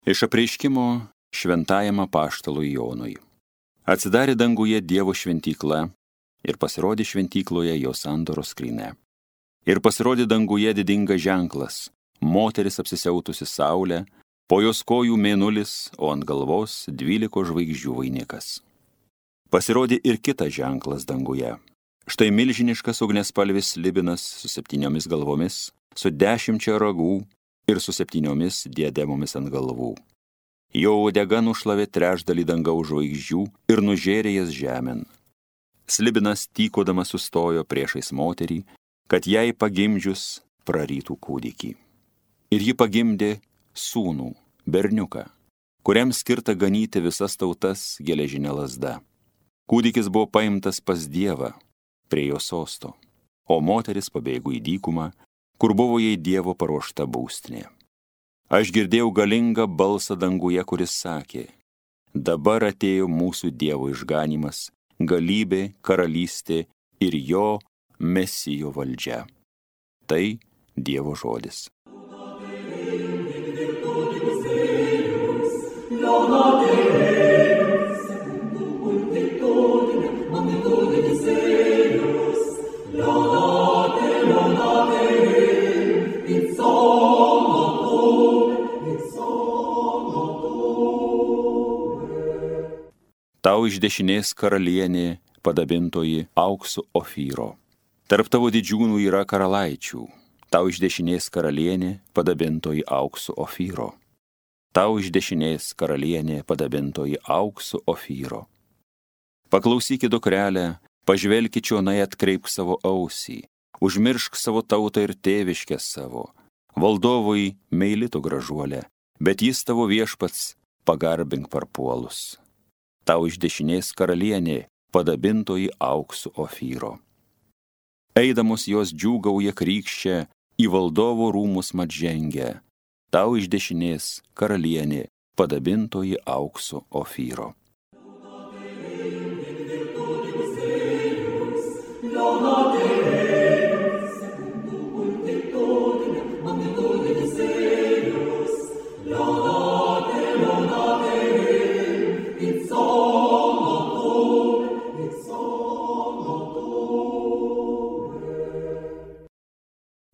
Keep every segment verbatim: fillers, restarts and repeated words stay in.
Iš apreiškimo šventajam apaštalui Jonui. Atsidarė danguje Dievo šventykla ir pasirodė šventykloje jo sandoros skrynia. Ir pasirodė danguje didingas ženklas, moteris apsisiautusi saulę, po jos kojų mėnulis, o ant galvos dvyliko žvaigždžių vainikas. Pasirodė ir kitas ženklas danguje. Štai milžiniškas ugniaspalvis slibinas su septyniomis galvomis, su dešimčia ragų ir su septyniomis diademomis ant galvų. Jo uodega nušlavė trečdalį dangaus žvaigždžių ir nužėrė jas žemėn. Slibinas tykodamas sustojo priešais moterį, kad jai pagimdžius prarytų kūdikį. Ir ji pagimdė sūnų, berniuką, kuriam skirta ganyti visas tautas geležinė lazda. Kūdikis buvo paimtas pas Dievą, prie jo sosto, o moteris pabėgo į dykumą, kur buvo jai Dievo paruošta būstinė. Aš girdėjau galingą balsą danguje, kuris sakė: dabar atėjo mūsų Dievo išganymas, galybė, karalystė ir jo Mesijo valdžia. Tai Dievo žodis. Tau iš dešinės karalienė padabintoji auksu Ofyro. Tarp tavo didžiūnų yra karalaičių. Tau iš dešinės karalienė padabintoji auksu Ofyro. Tau iš dešinės karalienė padabintoji auksu Ofyro. Paklausykit, dukrelę, pažvelkit čionai, atkreipk savo ausį, užmiršk savo tautą ir tėviškę savo. Valdovui meili tu gražuolė, bet jis tavo viešpats, pagarbink parpuolus. Tau iš dešinės karalienė padabintoji auksu Ofyro. Eidamos jos džiūgauja krykščia, į valdovo rūmus mat žengia. Tau iš dešinės karalienė padabintoji auksu Ofyro.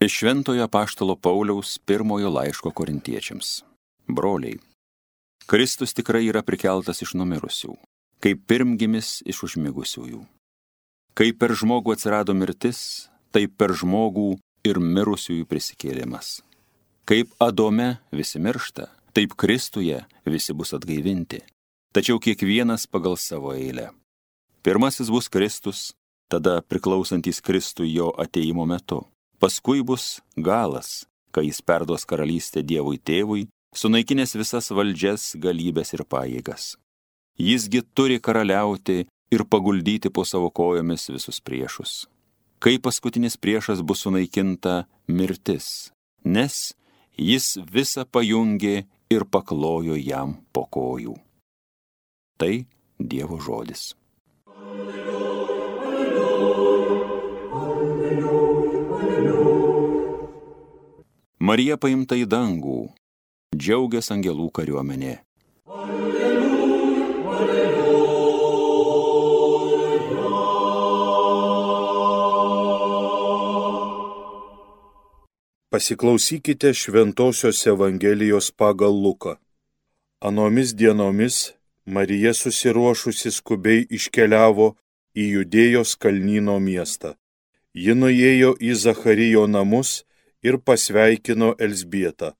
Iš šventojo apaštalo Pauliaus pirmojo laiško korintiečiams. Broliai, Kristus tikrai yra prikeltas iš numirusių, kaip pirmgimis iš užmigusiųjų. Kaip per žmogų atsirado mirtis, taip per žmogų ir mirusiųjų prisikėlimas. Kaip Adome visi miršta, taip Kristuje visi bus atgaivinti, tačiau kiekvienas pagal savo eilę. Pirmasis bus Kristus, tada priklausantys Kristui jo atėjimo metu. Paskui bus galas, kai jis perduos karalystę Dievui tėvui, sunaikinęs visas valdžias, galybės ir pajėgas. Jisgi turi karaliauti ir paguldyti po savo kojomis visus priešus. Kai paskutinis priešas bus sunaikinta mirtis, nes jis visą pajungė ir paklojo jam po kojų. Tai Dievo žodis. Marija paimta į dangų, džiaugias angelų kariuomenė. Alleluja, alleluja. Pasiklausykite Šventosios Evangelijos pagal Luką. Anomis dienomis Marija susiruošusi skubiai iškeliavo į Judėjos kalnyno miestą. Ji nuėjo į Zacharijo namus ir pasveikino Elzbietą.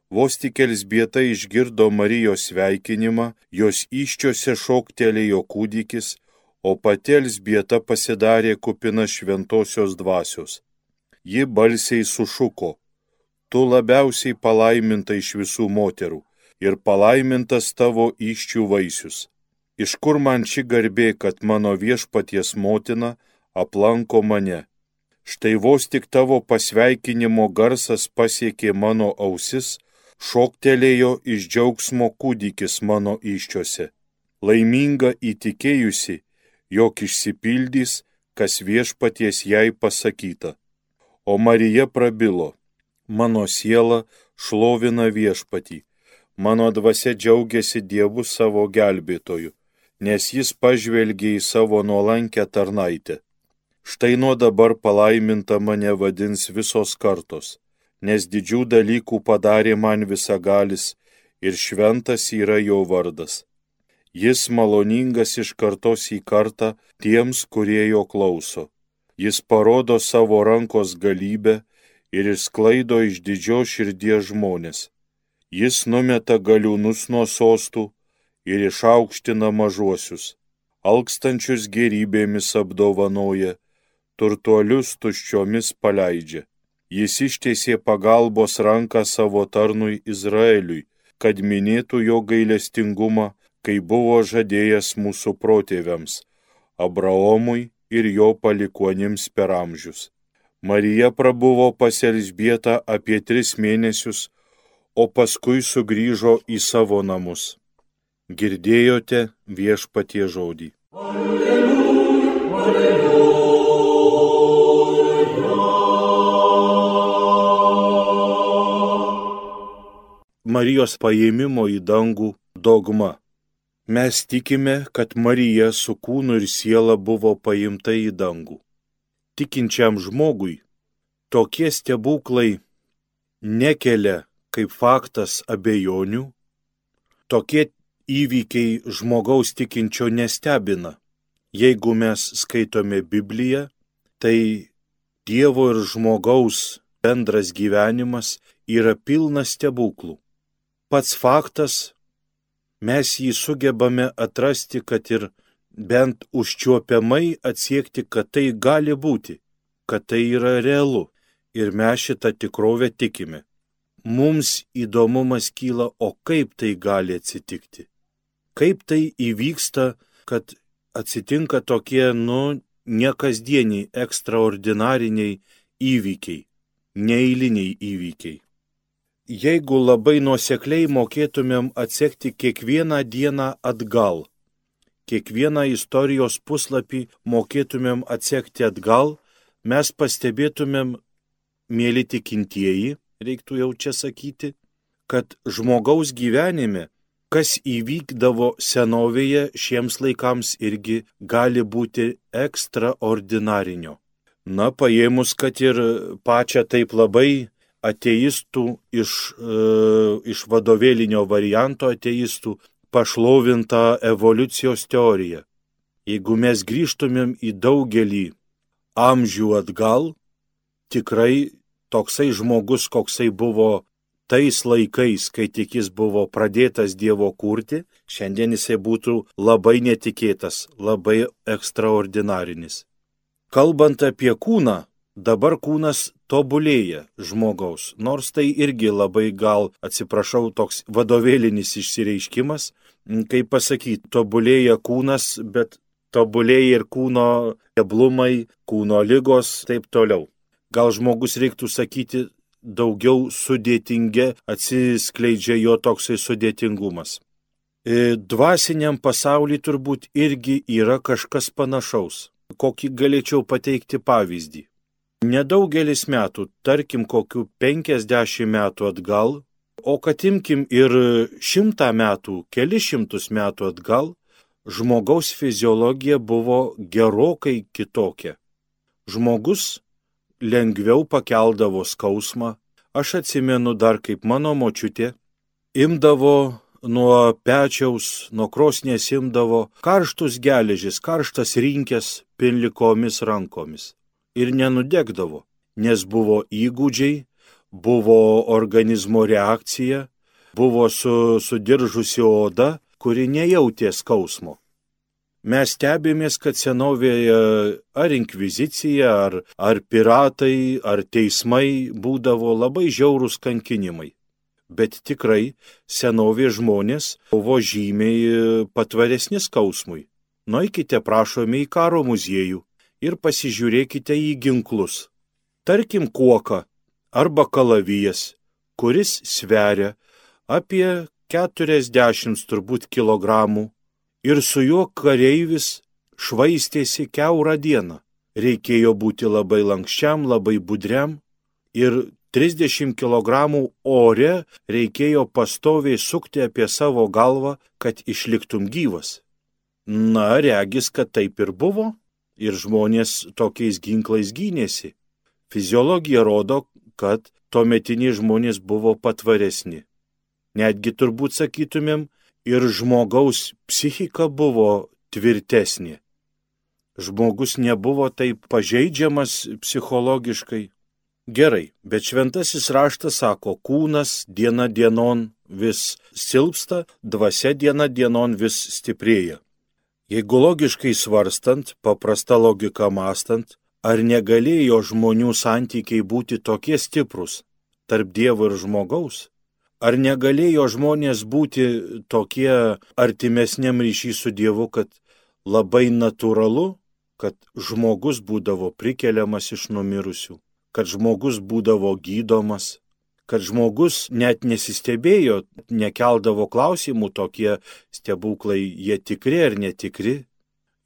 Vos tik Elzbieta išgirdo Marijos sveikinimą, jos įsčiose šoktelėjo kūdikis, o pati Elzbieta pasidarė kupina šventosios dvasios. Ji balsiai sušuko: tu labiausiai palaiminta iš visų moterų, ir palaimintas tavo įsčių vaisius. Iš kur man ši garbė, kad mano viešpaties motina aplanko mane? Štai vos tik tavo pasveikinimo garsas pasiekė mano ausis, šoktelėjo iš džiaugsmo kūdikis mano įsčiose. Laiminga įtikėjusi, jog išsipildys, kas viešpaties jai pasakyta. O Marija prabilo: mano siela šlovina viešpatį, Mano dvasia džiaugiasi Dievu savo gelbėtoju, nes jis pažvelgė į savo nuolankę tarnaitę. Štai nuo dabar palaiminta mane vadins visos kartos, nes didžių dalykų padarė man visagalis ir šventas yra jo vardas. Jis maloningas iš kartos į kartą tiems, kurie jo klauso. Jis parodo savo rankos galybę ir išsklaido iš didžios širdies žmonės. Jis numeta galiūnus nuo sostų ir išaukština mažuosius. Alkstančius gėrybėmis apdovanoja, turtuolius tuščiomis paleidžia. Jis ištiesė pagalbos ranką savo tarnui Izraeliui, kad minėtų jo gailestingumą, kai buvo žadėjęs mūsų protėviams, Abraomui ir jo palikuonims per amžius. Marija prabuvo pas Elžbietą apie tris mėnesius, o paskui sugrįžo į savo namus. Girdėjote Viešpaties žodį. Alleluja, alleluja. Marijos paėmimo į dangų dogma. Mes tikime, kad Marija su kūnu ir siela buvo paimta į dangų. Tikinčiam žmogui tokie stebuklai nekelia kaip faktas abejonių, tokie įvykiai žmogaus tikinčio nestebina. Jeigu mes skaitome Bibliją, tai Dievo ir žmogaus bendras gyvenimas yra pilnas stebuklų. Pats faktas, mes jį sugebame atrasti, kad ir bent užčiuopiamai atsiekti, kad tai gali būti, kad tai yra realu ir mes šitą tikrovę tikime. Mums įdomumas kyla, o kaip tai gali atsitikti? Kaip tai įvyksta, kad atsitinka tokie, nu, nekasdieniai, ekstraordinariniai įvykiai, neeiliniai įvykiai. Jeigu labai nuosekliai mokėtumėm atsekti kiekvieną dieną atgal, kiekvieną istorijos puslapį mokėtumėm atsekti atgal, mes pastebėtumėm, mėly tikintieji, reiktų jau čia sakyti, kad žmogaus gyvenime, kas įvykdavo senovėje, šiems laikams irgi gali būti ekstraordinarinio. Na, paėmus, kad ir pačią taip labai ateistų iš, e, iš vadovėlinio varianto ateistų pašlovintą evoliucijos teoriją. Jeigu mes grįžtumėm į daugelį amžių atgal, tikrai toksai žmogus, koksai buvo tais laikais, kai tik jis buvo pradėtas Dievo kurti, šiandien jisai būtų labai netikėtas, labai ekstraordinarinis. Kalbant apie kūną, dabar kūnas tobulėja žmogaus, nors tai irgi labai gal, atsiprašau, toks vadovėlinis išsireiškimas, kaip pasakyti, tobulėja kūnas, bet tobulėja ir kūno keblumai, kūno ligos, taip toliau. Gal žmogus reiktų sakyti, daugiau sudėtinge atsiskleidžia jo toksai sudėtingumas. Dvasiniam pasauliui turbūt irgi yra kažkas panašaus. Kokį galėčiau pateikti pavyzdį. Nedaugelis metų, tarkim kokių penkiasdešimt metų atgal, o kad imkim ir šimtą metų, keli šimtus metų atgal, žmogaus fiziologija buvo gerokai kitokia. Žmogus lengviau pakeldavo skausmą. Aš atsimenu dar, kaip mano močiutė imdavo nuo pečiaus, nuo krosnies imdavo karštus geležis, karštas rinkės pinlikomis rankomis. Ir nenudegdavo, nes buvo įgūdžiai, buvo organizmo reakcija, buvo su, sudiržusi oda, kuri nejautė skausmo. Mes stebėmės, kad senovėje ar inkvizicija, ar, ar piratai, ar teismai būdavo labai žiaurūs kankinimai. Bet tikrai senovės žmonės buvo žymiai patvaresni skausmui. Nueikite, prašome, į karo muziejų ir pasižiūrėkite į ginklus. Tarkim kuoką arba kalavijas, kuris sveria apie keturiasdešimt turbūt kilogramų ir su juo kareivis švaistėsi kiaurą dieną. Reikėjo būti labai lankščiam, labai budriam ir trisdešimt kilogramų ore reikėjo pastoviai sukti apie savo galvą, kad išliktum gyvas. Na, regis, kad taip ir buvo, ir žmonės tokiais ginklais gynėsi. Fiziologija rodo, kad tuometiniai žmonės buvo patvaresni. Netgi turbūt sakytumėm, ir žmogaus psichika buvo tvirtesnė. Žmogus nebuvo taip pažeidžiamas psichologiškai. Gerai, bet šventasis raštas sako, kūnas diena dienon vis silpsta, dvasia diena dienon vis stiprėja. Jeigu logiškai svarstant, paprasta logika mąstant, ar negalėjo žmonių santykiai būti tokie stiprus tarp Dievo ir žmogaus? Ar negalėjo žmonės būti tokie artimesniam ryšy su Dievu, kad labai natūralu, kad žmogus būdavo prikeliamas iš numirusių, kad žmogus būdavo gydomas, kad žmogus net nesistebėjo, nekeldavo klausimų tokie stebuklai, jie tikri ar netikri.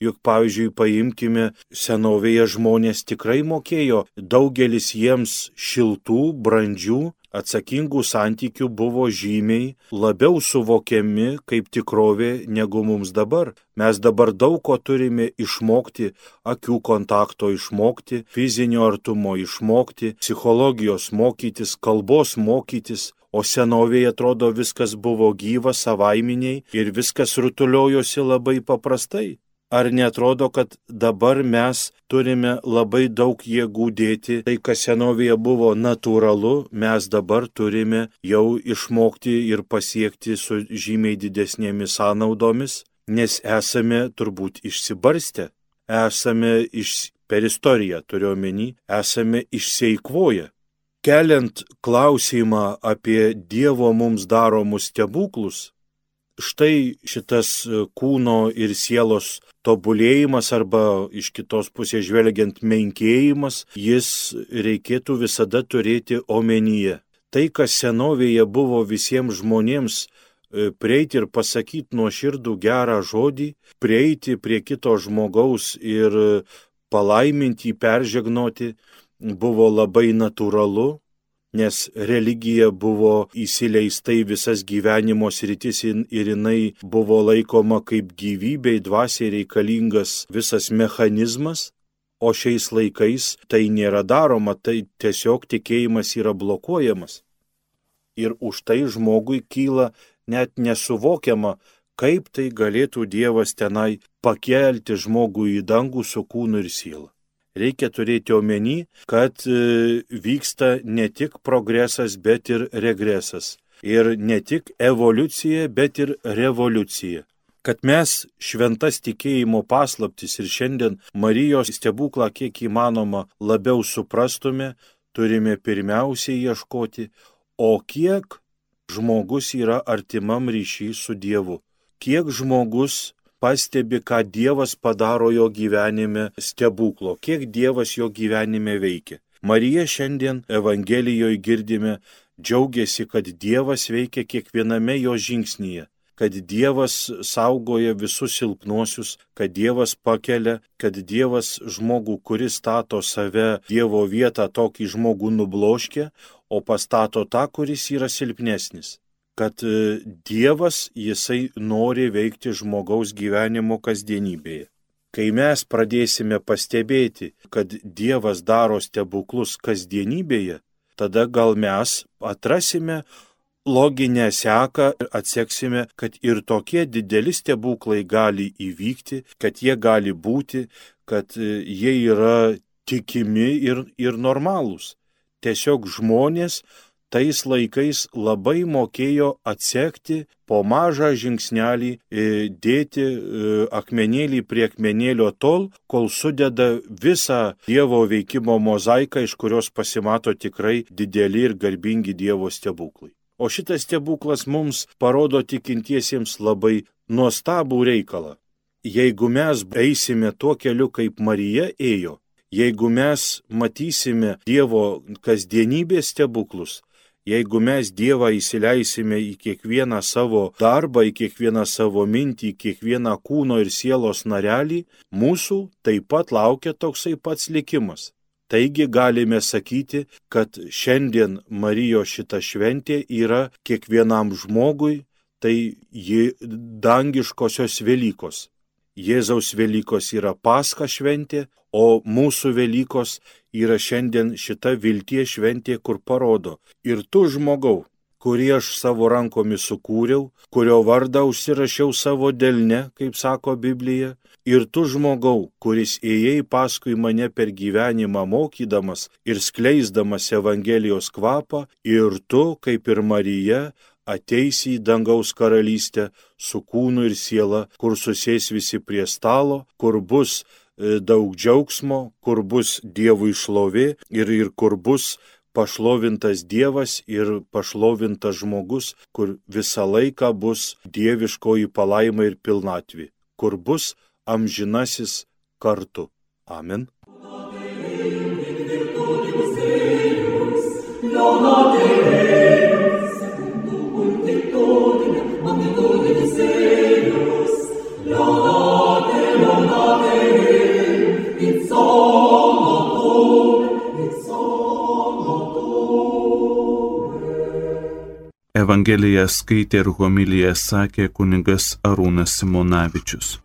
Juk, pavyzdžiui, paimkime, senovėje žmonės tikrai mokėjo, daugelis jiems šiltų, brandžių, atsakingų santykių buvo žymiai labiau suvokiami kaip tikrovė negu mums dabar. Mes dabar daug ko turime išmokti, akių kontakto išmokti, fizinio artumo išmokti, psichologijos mokytis, kalbos mokytis, o senovėje atrodo viskas buvo gyva, savaiminiai ir viskas rutuliojosi labai paprastai. Ar netrodo, kad dabar mes turime labai daug jėgų dėti, tai kas senovėje buvo natūralu, mes dabar turime jau išmokti ir pasiekti su žymiai didesnėmis sąnaudomis, nes esame turbūt išsibarstę, esame iš, per istoriją turiu omeny, esame išseikvoję. Keliant klausimą apie Dievo mums daromus stebuklus, štai šitas kūno ir sielos tobulėjimas arba iš kitos pusės žvelgiant menkėjimas, jis reikėtų visada turėti omenyje. Tai, kas senovėje buvo visiems žmonėms prieiti ir pasakyti nuoširdų gerą žodį, prieiti prie kito žmogaus ir palaiminti, peržegnoti, buvo labai natūralu, nes religija buvo įsileista į visas gyvenimo sritis ir jinai buvo laikoma kaip gyvybei, dvasiai reikalingas visas mechanizmas, o šiais laikais tai nėra daroma, tai tiesiog tikėjimas yra blokuojamas. Ir už tai žmogui kyla net nesuvokiama, kaip tai galėtų Dievas tenai pakelti žmogų į dangų su kūnu ir siela. Reikia turėti omeny, kad vyksta ne tik progresas, bet ir regresas. Ir ne tik evoliucija, bet ir revoliucija. Kad mes šventas tikėjimo paslaptis ir šiandien Marijos stebuklą kiek įmanoma labiau suprastume, turime pirmiausiai ieškoti, o kiek žmogus yra artimam ryšy su Dievu. Kiek žmogus pastebi, ką Dievas padaro jo gyvenime stebuklo, kiek Dievas jo gyvenime veikia. Marija šiandien Evangelijoje girdime, džiaugiasi, kad Dievas veikia kiekviename jo žingsnyje, kad Dievas saugoja visus silpnuosius, kad Dievas pakelia, kad Dievas žmogų, kuris stato save Dievo vietą, tokį žmogų nubloškia, o pastato tą, kuris yra silpnesnis. Kad Dievas, jisai nori veikti žmogaus gyvenimo kasdienybėje. Kai mes pradėsime pastebėti, kad Dievas daro stebuklus kasdienybėje, tada gal mes atrasime loginę seką ir atseksime, kad ir tokie dideli stebuklai gali įvykti, kad jie gali būti, kad jie yra tikimi ir, ir normalūs. Tiesiog žmonės tais laikais labai mokėjo atsekti po mažą žingsnelį, dėti akmenėlį prie akmenėlio tol, kol sudeda visą Dievo veikimo mozaiką, iš kurios pasimato tikrai dideli ir garbingi Dievo stebuklai. O šitas stebuklas mums parodo tikintiesiems labai nuostabų reikalą. Jeigu mes eisime tuo keliu, kaip Marija ėjo, jeigu mes matysime Dievo kasdienybės stebuklus, jeigu mes Dievą įsileisime į kiekvieną savo darbą, į kiekvieną savo mintį, į kiekvieną kūno ir sielos narelį, mūsų taip pat laukia toksai pats likimas. Taigi galime sakyti, kad šiandien Marijos šita šventė yra kiekvienam žmogui, tai ji dangiškosios Velykos. Jėzaus Velykos yra Pascha šventė, o mūsų Velykos yra šiandien šita vilties šventė, kur parodo: ir tu, žmogau, kurį aš savo rankomis sukūriau, kurio vardą užsirašiau savo delne, kaip sako Biblija, ir tu, žmogau, kuris ėjai paskui mane per gyvenimą mokydamas ir skleisdamas Evangelijos kvapą, ir tu, kaip ir Marija, ateisi į dangaus karalystę su kūnu ir siela, kur susės visi prie stalo, kur bus daug džiaugsmo, kur bus Dievui šlovė ir, ir kur bus pašlovintas Dievas ir pašlovintas žmogus, kur visą laiką bus dieviškoji palaima ir pilnatvė, kur bus amžinasis kartu. Amen. Evangeliją skaitė ir homiliją sakė kunigas Arūnas Simonavičius.